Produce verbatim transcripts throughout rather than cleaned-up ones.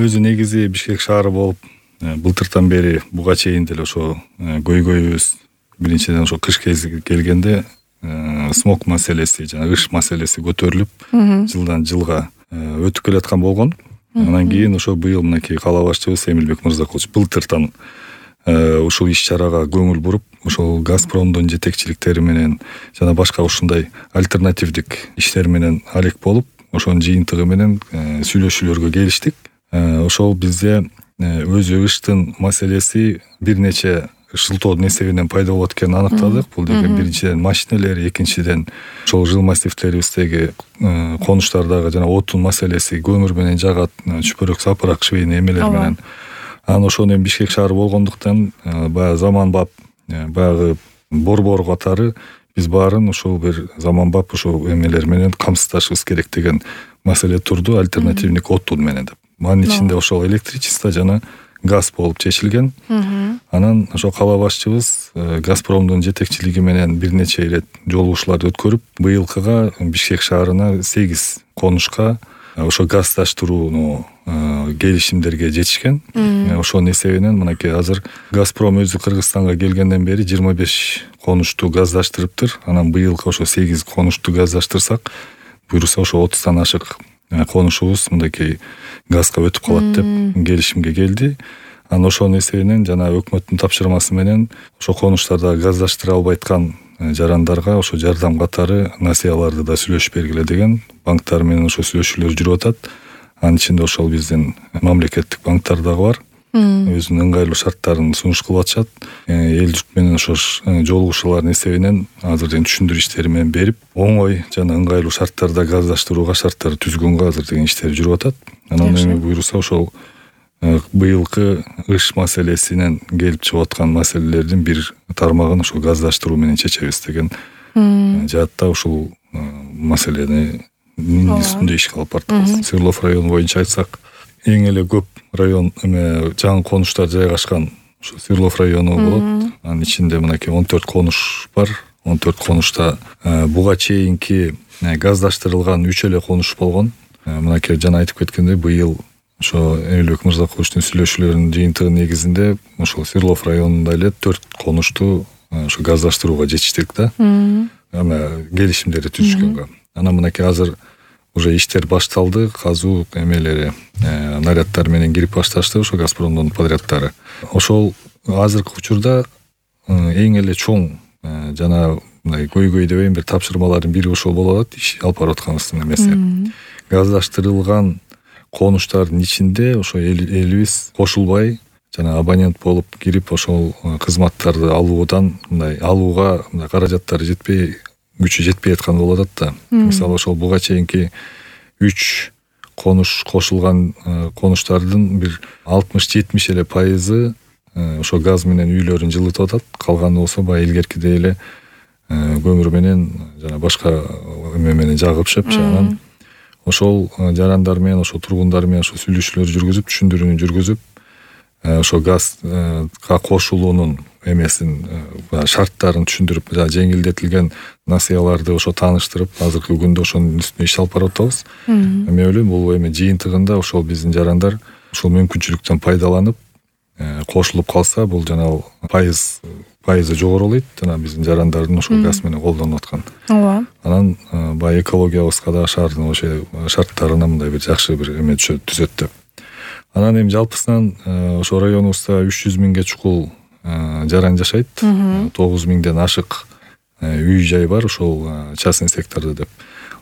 өзү негизи Бишкек шаары болуп былтыртан бери буга чейин деле ошо көйгөйүбүз биринчиден ошо кыш кези келгенде смог маселеси жана ыш маселеси көтөрүлүп жылдан жылга өтүп келаткан болгон. Анан кийин ошо быйыл мынакей кала башчыбыз Эмилбек Мырзакулович былтыртан ушул иш-чарага көңүл буруп, ошол Газпромдун жетекчиликтери менен жана башка ушундай альтернативдик иштер менен алек болуп, ошонун жыйынтыгы менен сүйлөшүүлөргө келиштик. Ошол бизде өзү ыштын маселеси бир нече шылтоодун эсебинен пайда болот экенин аныктадык. Бул деген биринчиден машиналер, экинчиден ошол жыл массивтерибиздеги конуштардагы жана отун маселеси, көмүр менен жагат, чүпөрөк сапырак швейный эмелер менен. Анан ошону эми Бишкек шаары болгондуктан баягы заманбап баягы борбор катары биз баарын ошол бир заманбап ошол эмелер менен камсыздашыбыз керек деген маселе турду, альтернативдик отун менен деп. Анын ичинде ошол электричество жана газ болуп чечилген. Анан ошо кала башчыбыз Газпромдун жетекчилиги менен бир нече ирет жолугушууларды өткөрүп, быйылкыга Бишкек шаарына сегиз конушка ошо газдаштырууну келишимдерге жетишкен. Ошонун эсебинен мынакей азыр Газпром өзү Кыргызстанга келгенден бери жыйырма беш конушту газдаштырыптыр. Анан быйылкы ошо сегиз конушту газдаштырсак, буюрса ошо отуздан ашык конушубуз мындакей газга өтүп калат деп келишимге келди. Анан ошонун эсебинен жана өкмөттүн тапшырмасы менен ошо конуштарда газдаштыра албайткан жарандарга ошо жардам катары насыяларды да сүйлөшүп бергиле деген банктар менен ошо сүйлөшүүлөр жүрүп атат. Анын ичинде ошол биздин мамлекеттик банктар дагы бар. Өзүнүн ыңгайлуу шарттарын сунуш кылып атышат. Эл журт менен ошо жолугушуулардын эсебинен азыр деген түшүндүрүү иштери менен берип, оңой жана ыңгайлуу шарттарда газдаштырууга шарттарды түзгөнгө азыр деген иштер жүрүп атат. Анан эми буюрса ошол быйылкы ыш маселесинен келип чыгып аткан маселелердин бир тармагын ошо газдаштыруу менен чечебиз деген жаатта ушул маселени үстүндө ишке алып бардык. Свердлов району боюнча айтсак, эң эле көп район эме жаңы конуштар жайгашкан ошо Свердлов району болот. Анын ичинде мынакей он төрт конуш бар. он төрт конушта буга чейинки газдаштырылган үч эле конуш болгон. Мынакей жана айтып кеткендей, быйыл ошо Эмилбек Мырзакуловичтун сүйлөшүүлөрүнүн жыйынтыгы негизинде ошол Свердлов районунда эле төрт конушту ошо газдаштырууга жетиштик да. Эме келишимдерди түзүшкөнгө. Анан мынакей азыр уже иштер башталды, казуу эмелери, наряддар менен кирип башташты ошо Газпромдун подряддары. Ошол азыркы учурда эң эле чоң жана мындай көйгөй дебейм, бир тапшырмалардын бири ошол болуп атат, иш алып барып атканыбыздын эмеси. Газдаштырылган конуштардын ичинде ошо элибиз кошулбай жана абонент болуп кирип ошол кызматтарды алуудан мындай алууга мындай каражаттары жетпей, күчү жетпей аткан болуп атат да. Мисалы ошол буга чейинки үч конуш кошулган конуштардын бир алтымыш жетимиш эле пайызы ошо газ менен үйлөрүн жылытып атат. Калганы болсо баягы илгеркидей эле көмүр менен жана башка эме менен жагып шөпчү. Анан ошол жарандар менен, ошо тургундар менен ошо сүйлөшүүлөр жүргүзүп, түшүндүрүүнү жүргүзүп, ошо газга кошулуунун эмесин, шарттарын түшүндүрүп, жеңилдетилген насыяларды ошо тааныштырып, азыркы күндө ошонун үстүнө иш алып барып атабыз. Эми ойлойм, бул эми жыйынтыгында ошол биздин жарандар ушул мүмкүнчүлүктөн пайдаланып кошулуп калса, бул жана пайыз пайызы жогорулайт жана биздин жарандардын ошол газ менен колдонуп аткан. Ооба. Анан баягы экологиябызга да шаардын ошо шарттарына мындай бир жакшы бир эме түзөт деп. Анан эми жалпысынан ошо районубузда үч жүз миңге чукул жаран жашайт. тогуз миңден ашык үй жай бар, ошол частный сектордо деп.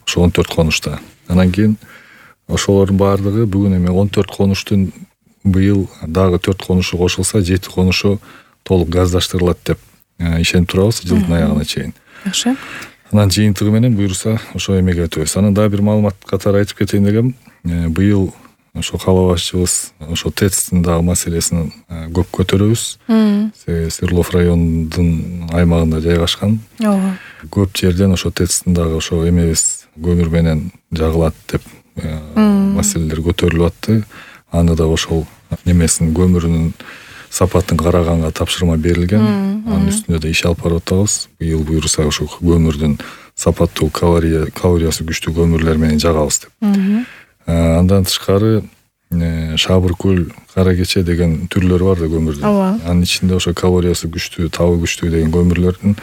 Ошо он төрт конушта. Анан кийин ошолордун баардыгы бүгүн эми он төрт конуштун быйыл дагы төрт конушу кошулса, жети конушу толук газдаштырылат деп ишенип турабыз жылдын аягына чейин. Жакшы. Анан жыйынтыгы менен буюрса ошо эмеге өтөбүз. Анан дагы бир маалымат катары айтып кетейин дегем. Быйыл ошо кала башчыбыз ошо ТЭЦтин дагы маселесин көп көтөрөбүз. Свердлов районунун аймагында жайгашкан. Ооба. Көп жерден ошо ТЭЦтин дагы ошо эмебиз көмүр менен жагылат деп маселелер көтөрүлүп атты. Аны да ошол немесин, көмүрүнүн сапатын караганга тапшырма берилген. Анын үстүндө да иш алып барып атабыз. Быйыл буюрса ошо көмүрдүн сапаттуу калориясы күчтүү көмүрлөр менен жагабыз деп. Андан тышкары Шабыр көл, кара кече деген түрлөрү бар да көмүрдүн. Анын ичинде ошо калориясы күчтүү, табы күчтүү деген көмүрлөрдүн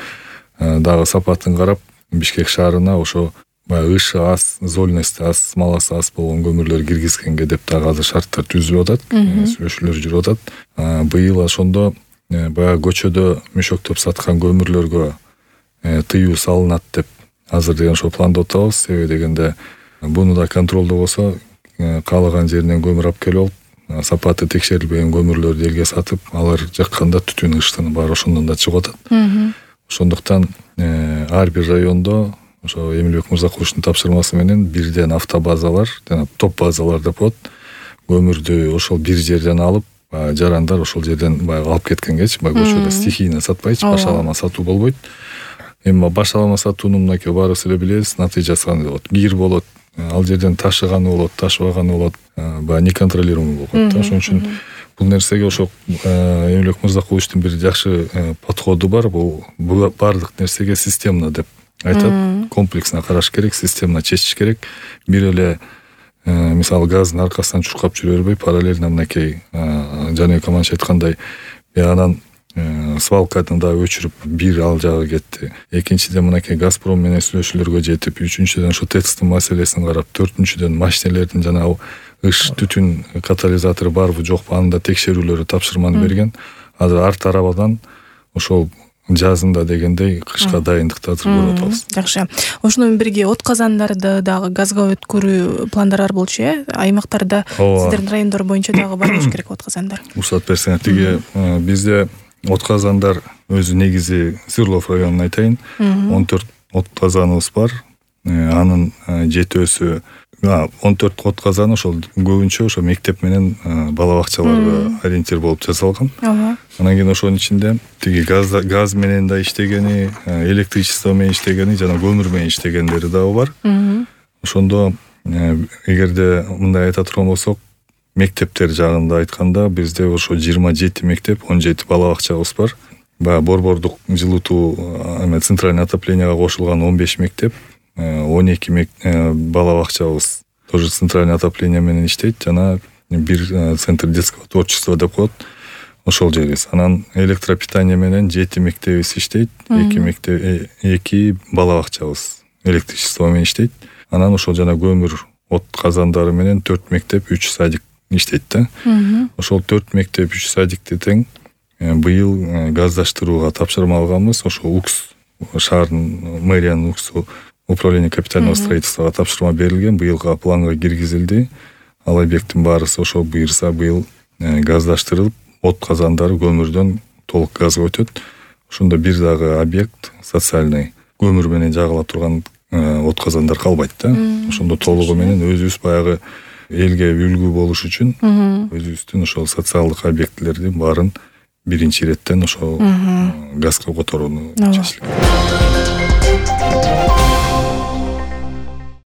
дагы сапатын карап Бишкек шаарына ошо баягы ышы аз, зольности аз, смоласы аз болгон көмүрлөр киргизгенге деп дагы азыр шарттар түзүлүп атат, сүйлөшүүлөр жүрүп атат. Быйыл ошондо баягы көчөдө мөшөктөп саткан көмүрлөргө тыюу салынат деп азыр деген ошо пландап атабыз. Себеби дегенде буну да контролдобосо каалаган жеринен көмүр алып келип алып, сапаты текшерилбеген көмүрлөрдү элге сатып, алар жакканда түтүн ыштыны баары ошондон да чыгып атат. Ошондуктан ар бир райондо ошо Эмилбек Мырзакуловичтун тапшырмасы менен бирден автобазалар жана топ базалар деп коет. Көмүрдү ошол бир жерден алып, жарандар ошол жерден баягы алып кеткенгечи, баягы көчөдө стихийно сатпайчы, башалама сатуу болбойт. Эми башалама сатуунун мынакей баарыбыз эле билебиз, натыйжасы кандай болот. Кир болот, ал жерден ташыганы болот, ташыбаганы болот, баягы неконтролируемый болуп калат да. Ошон үчүн бул нерсеге ошо Эмилбек Мырзакуловичтун бир жакшы подходу бар. Бул баардык нерсеге системно деп айтат. Комплексно караш керек, системно чечиш керек. Бир эле мисалы газдын аркасынан чуркап жүрө бербей, параллельно мынакей Жаныбек Аманович айткандай, биянан свалканы да өчүрүп бир ал жагы кетти. Экинчиден мынакей Газпром менен сүйлөшүүлөргө жетип, үчүнчүдөн ошо ТЭЦтин маселесин карап, төртүнчүдөн машинелердин жанагы ыш түтүн катализатору барбы жокпу аны да текшерүүлөрү тапшырманы берген. Азыр ар тарабынан ошол жазында дегендей кышка дайындыкты азыр көрүп атабыз. Жакшы. Ошону менен бирге от казандарды дагы газга өткөрүү пландар бар болчу э? Аймактарда сиздердин райондор боюнча дагы бар болуш керек от казандар. Уруксат берсеңер, тиги бизде от казандар өзү негизи Сырлов районун айтайын. он төрт от казаныбыз бар. Анын жетөөсү он төрт от казаны ошол көбүнчө ошо мектеп менен бала бакчаларга ориентир болуп жасалган. Анан кийин ошонун ичинде тиги газ газ менен да иштегени, электричество менен иштегени жана көмүр менен иштегендери дагы бар. Ошондо эгерде мындай айта турган болсок, мектептер жагында айтканда бизде ошо жыйырма жети мектеп, он жети бала бакчабыз бар. Баягы борбордук жылытуу, эме центральный отопленияга кошулган он беш мектеп, он эки бала бакчабыз тоже центральный отопление менен иштейт, жана бир центр детского творчества деп коет. Ошол жерибиз. Анан электропитание менен жети мектебибиз иштейт, эки мектеп, эки бала бакчабыз электричество менен иштейт. Анан ошол жана көмүр от казандары менен төрт мектеп, үч садик иштейт да. Ошол төрт мектеп, үч садикти тең быйыл газдаштырууга тапшырма алганбыз. Ошо УКС, шаардын мэриянын УКСу, управление капитального строительствога тапшырма берилген, быйылга планга киргизилди. Ал объекттин баарысы ошо буйрса быйыл газдаштырылып, от казандары көмүрдөн толук газга өтөт. Ошондо бир дагы объект социальный көмүр менен жагыла турган от казандар калбайт да. Ошондо толугу менен өзүбүз баягы элге үлгү болуш үчүн өзүбүздүн ошол социалдык объектилердин баарын биринчи иреттен ошол газга которууну чечилген.